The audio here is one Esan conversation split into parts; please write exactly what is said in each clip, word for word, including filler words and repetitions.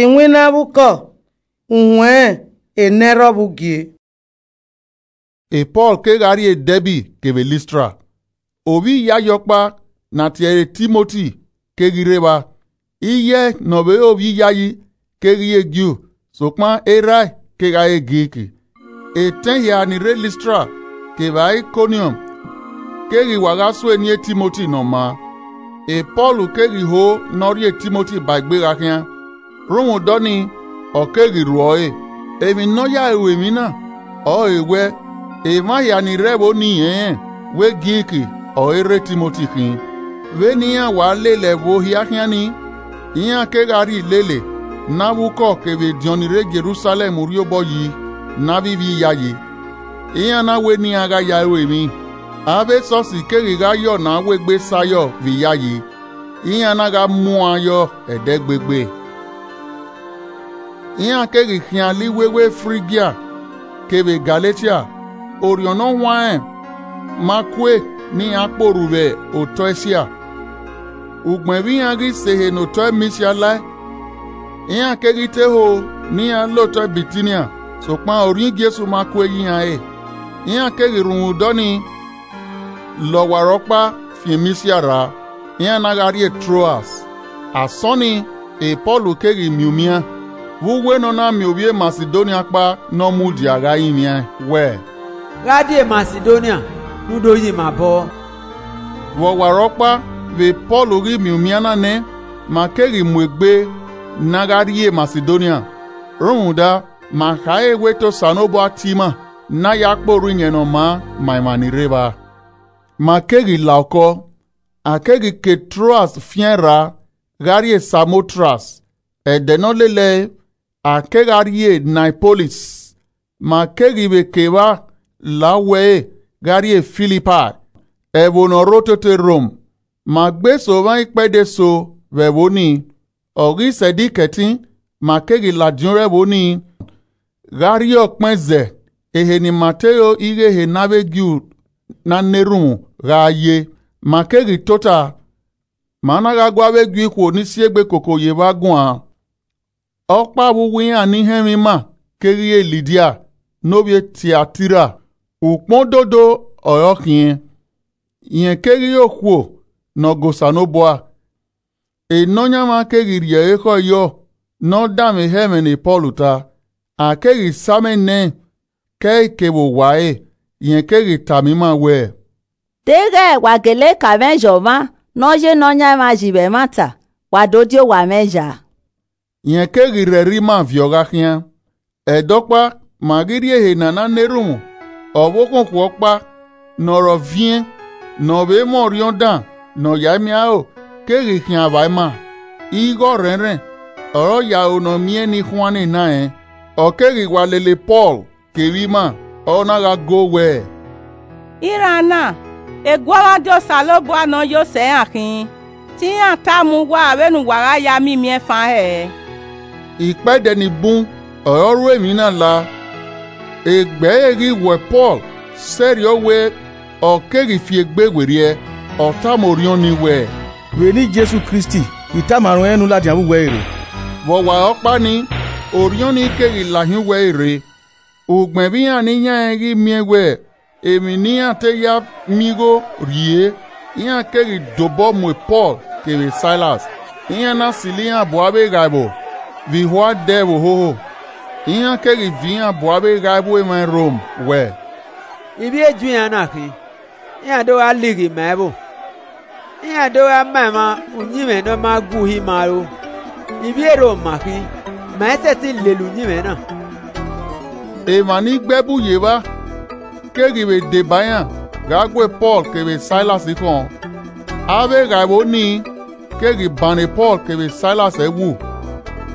iwinna vbe ukọ, uwẹn enẹrhọ vbe ugie. E Pọl kegha rrie Dẹbi kevbe Listra. Ovbi iyayi ọkpa ne a tie ẹre Timoti keghi rre evba. Iye ne ọ vbe re ovbi iyayi keghi re Ju, sokpan erha ẹre kegha re Grik. Etẹn hia ni rre Listra kevbe Aikoniọm keghi wa gha sue eni Timoti ne ọ maa. E Pọl keghi ho ne ọ rhie Timoti ba egbe gha khian. Rhunmwuda ọnii, ọ keghi ruẹ ọre. Emwi ne ọ ya ru emwi na ọrọre wẹ, emwa hia ni rre ẹvbo nii rẹnrẹn wẹ Grik ọre rre Timoti khin. Vbene iran wa lele ẹvbo hia khian nii, iran kegha rhie ilele ne avbe ukọ kevbe ediọn ni rre Jerusalẹm rhie obọ yi ne avbe ivbi iyayi. Iran na wẹ ne iran gha ya ru emwi, avbe esọsi keghi gha yọ ne a wegbe sa yọ vbe iyayi, iran na gha muan yọ ẹdẹgbegbe. Iran keghi khian la iwewe Frigia kevbe Galetia, Orhiọn Ne Ọ Huanrẹn ma kue ne iran kporu vbe otọ Esia. Ugbẹn vbe iran ghi sẹ ehe ne otọ Misia lae, iran keghi te ho ne iran la otọ Bitinia, sokpan orhiọn Jesu ma kue ye iran re. Iran keghi rhunmwuda ọnii la ọwarọkpa fian Misia rra, iran na gha rrie Troas. Asọn nii, e Pọl keghi miẹn umian, vbe uwẹ ne ọ na miẹn ovbi e Masidonia ọkpa ne ọ mudia gha rinmwian wẹẹ, Gha die Masidonia, ne u do yi ima obọ. Vbe ọwarọkpa vbe Pọl ghi miẹn umian na nẹ, ma keghi mu egbe ne a gha rrie Masidonia, rhunmwuda ma khare wẹ te Osanobua tie ima ne a ya kpe orhu Iyẹn Ne Ọ Maa ma emwa ni rre evba. Ma keghi la okọ, a keghi ke Troas fian ra gha rrie Samotras. Ẹdẹ ne ọ lele ẹre, a kegha rrie Niapolis, ma keghi vbe ke evba la uwu ẹre gha rrie Filipai, ẹvbo ne ọ rre otete Rom. Ma gbe eso mwa ikpẹdẹ eso vbe ẹvbo nii, ọ ghi sẹdikẹ ẹtin, ma keghi ladian rre ẹvbo nii gha rrie ọkpẹn zẹ ehe ne ima te ro ighẹ ehe ne avbe Ju na na erhunmwu gha ye. Ma keghi tota, ma na gha gu avbe Ju ikhuo ni si egbe koko ye evba guan. Ọkpa vbe uwu iran ni họn ẹmwẹ ima keghi re Lidia ne ovbi e Tiatira, ukpọn dodo ọre ọ khiẹn. Rẹn keghi re okhuo ne ọ ga Osanobua. Enọyanmwa keghi rhie ẹre khẹ yọ ne ọ danmwehọ ẹmwẹ ne Pọl ta, a keghi sa amẹ nẹẹn ke ẹre kevbe owa ẹre. Rẹn keghi tama ima wẹẹ, Deghẹ wa gele ka mwẹ ye ọmwa ne ọ ye Nọyaẹnmwa yi vbe ẹmwata, wa do die owa mwẹ ya. Rẹn keghi rhẹrẹ ima viọ gha khian. Ẹdẹ ọkpa, ma ghi rrie ehe ne a na na erhunmwu, ọvbokhan okhuo ọkpa ne ọ rọ viẹn, ne ọ vbe mwẹ orhiọn dan ne ọ yae miẹn aro, keghi khian vba ima. Ighe ọrhẹnrhẹn ọre ọ ya ro ne ọ miẹn ne I khuannẹ na rẹn. Ọ keghi wa lele Pọl kevbe ima, ọ na gha go wẹẹ, Iran na, eguọmwadia Osanobua ne ọ yo sẹ iran khin, te iran tama uwa vbene uwa gha ya miẹn imiẹnfan hẹ. Ikpẹdẹ ni bun ọre ọ ru emwi na la. Egbe ẹre ghi wẹ Pọl sẹrriọ wẹ, ọ keghi fi egbe werriẹ, ọ tama orhiọn ni wẹẹ, Vbe eni Jesu Kristi, I tama ruẹn ne u ladian vbe uwu ẹre rre. Vbe ọwarọkpa nii, orhiọn ni keghi la hin uwu ẹre rre. Ugbẹn vbe iran ni yan rẹn ghi miẹn wẹ emwi ne iran te ya miẹn igho rrie, iran keghi dobọ mu Pọl kevbe Sailas, iran na silo iran bu avbe eghaevbo vbe ihua dẹ vbe ohoho. Iran keghi viọ iran bu avbe eghaevbo emwa Rom wẹẹ, Ivbi e Ju iran na khin, iran do gha lighi ima ẹvbo. Iran do gha ma emwa uyinmwẹ ne ọ ma gu uhi ima ro. Ivbi e Rom ma khin, ma i sẹtin lele uyinmwẹ na. Emwa ni gbe ẹbu ye evba keghi vbe deba iran gha gu Pọl kevbe Sailas khọn. Avbe eghaevbo nii keghi banre Pọl kevbe Sailas ẹwu,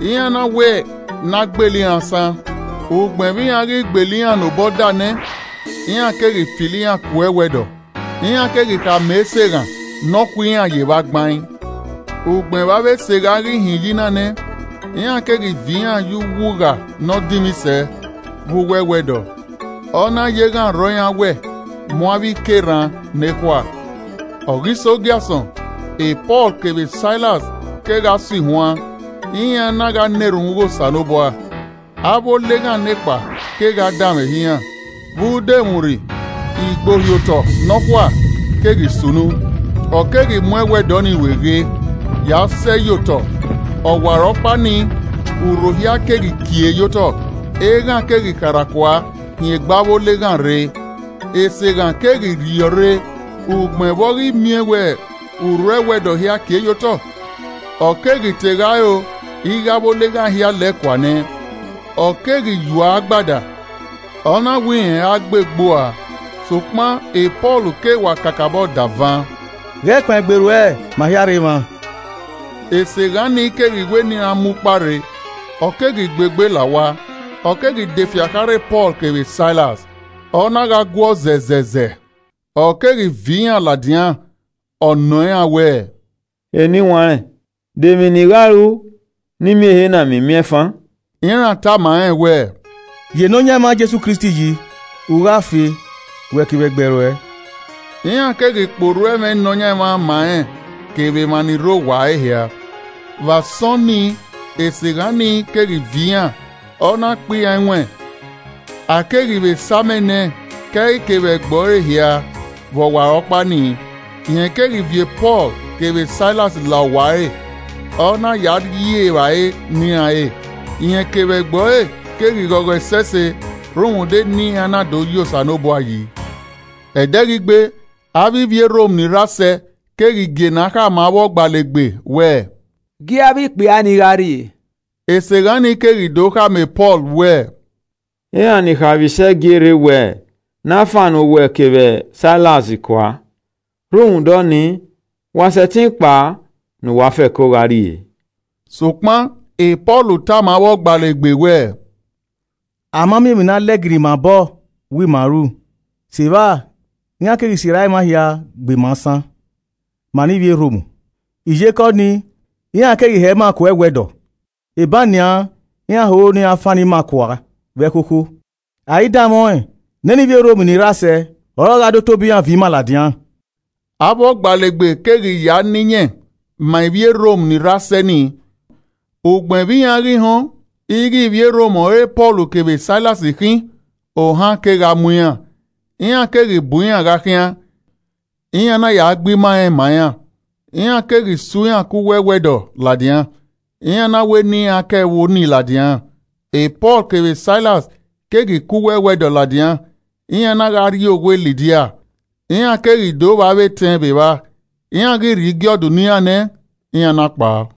iran na wẹ ne a gbele iran asan. Ugbẹn vbe iran ghi gbele iran ne obọ da nẹ, iran keghi filo iran ku ẹwẹdọ, iran keghi khama ẹse eghan ne ọ khu iran ye evba gbain. Ugbẹn vbe avbe ẹse eghan ghi hin yi na nẹ, iran keghi viọ iran ye uwu ugha ne ọ dinmwi sẹ vbe uwu ẹwẹdọ. Ọ na ye eghan rrọọ iran wẹ, mu avbe ike rran ne ekhua. Ọ ghi sẹ ogiasọn, Pọl kevbe Sailas kegha si huan. iran na gha na erhunmwu ghe Osanobua. Avbe oleghan nekpa kegha danmwẹ ehe iran, vbe ude emwurri, igbohiotọ nọkhua keghi sunu, ọ keghi mu ẹwẹdẹ ọnii ru eghe, ya sẹ ye otọ. Ọwarọkpa nii, urho hia keghi kie ye otọ, eghan keghi kharha-kua hin egbe avbe oleghan rre. Eseghan keghi rhiọrre, ugbẹn vbe ọ ghi miẹn wẹ urho ẹwẹdẹ hia kie ye otọ, ọ keghi te gha ro ighe avbe oleghan hia lẹ kua nẹ, ọ keghi yua agbada, ọ na wẹ irẹn a gbe gbua. Sokpan e Pọl ke wa kakabọ da van, Ghẹ kpaegbe ruẹ, ma hia rre mwa. Eseghan ni keghi wẹ ne iran mu ukpa rre, ọ keghi gbe egbe la owa, ọ keghi de fia kharhe Pọl kevbe Sailas, ọ na gha guọ zẹzẹzẹ, ọ keghi viọ iran ladian, ọ nọ iran wẹẹ, Eniwanrẹn, de emwi ne I gha ru ne I miẹn ehe na miẹn imiẹnfan? Iran tama rẹn wẹẹ, Ye Nọyaẹnmwa Jesu Kristi yi, u gha fe, wẹ kevbe ẹgbẹe ruẹ. Iran keghi kpe orhu ẹmwẹ Nọyaẹnmwa ma rẹn kevbe emwa ni rre owa ẹre hia. Vbe asọn nii, eseghan ni keghi viọ iran, ọ na kpe iran iwẹn, a keghi vbe sa amẹ nẹ, ke ẹi ke vbe ẹgbẹe ẹre hia vbe ọwarọkpa nii. Irẹn keghi viọ Pọl kevbe Sailas la owa ẹre, ọ na ya rhie evbare ne iran ẹre. Irẹn kevbe ẹgbẹe ẹre keghi ghọghọ ẹsẹse rhunmwuda ne iran na do ye Osanobua yi. Ẹdẹghigbe, avbe ivbi Rom ni rre asẹ keghi gie ne a khama avbe ọgbalegbe wẹẹ, Gie avbe ikpia ni gha rrie. Eseghan ni keghi do khama Pọl wẹẹ, Iran ni kha vbe isẹ gie rre wẹ ne a fan uwẹ kevbe Sailas kua. Rhunmwuda ọnii, wa sẹtin kpao ne uwa fẹko gha rrie. Sokpan e Pọl tama avbe ọgbalegbe wẹẹ, A ma miẹn emwi ne a lẹgirri ima obọ wẹ ima ru. Sevba, iran keghi sirra emwa hia gbe ima asan, ma ne ivbi Rom. Iyeke ọnii, iran keghi hẹ ima kua ẹwẹdọ. Eban nian, iran ho ne iran fan ima kua vbe ẹkhokho. A i danmwẹ ọnrẹn, nene ivbi Rom ni rre asẹ ọre ọ gha do tobọ iran viọ ima ladian. Avbe ọgbalegbe keghi ya na iyẹn ma ivbi Rom ni rre asẹ nii. Ugbẹn vbe iran ghi họn ighẹ ivbi Rom ọre Pọl kevbe Sailas khin, ohan kegha mu iran, iran keghi bu iran gha khian, iran na ya gbe ima rẹn ma iran, iran keghi su iran ku uwu ẹwẹdọ ladian, iran na wẹ ne iran ke ẹvbo nii ladian. E Pọl kevbe Sailas keghi ku uwu ẹwẹdọ ladian, iran na gha rrie owa Lidia, iran keghi do vba avbe etẹn vbe evba, iran ghi rhie igiọdu ne iran nẹ, iran na kpao.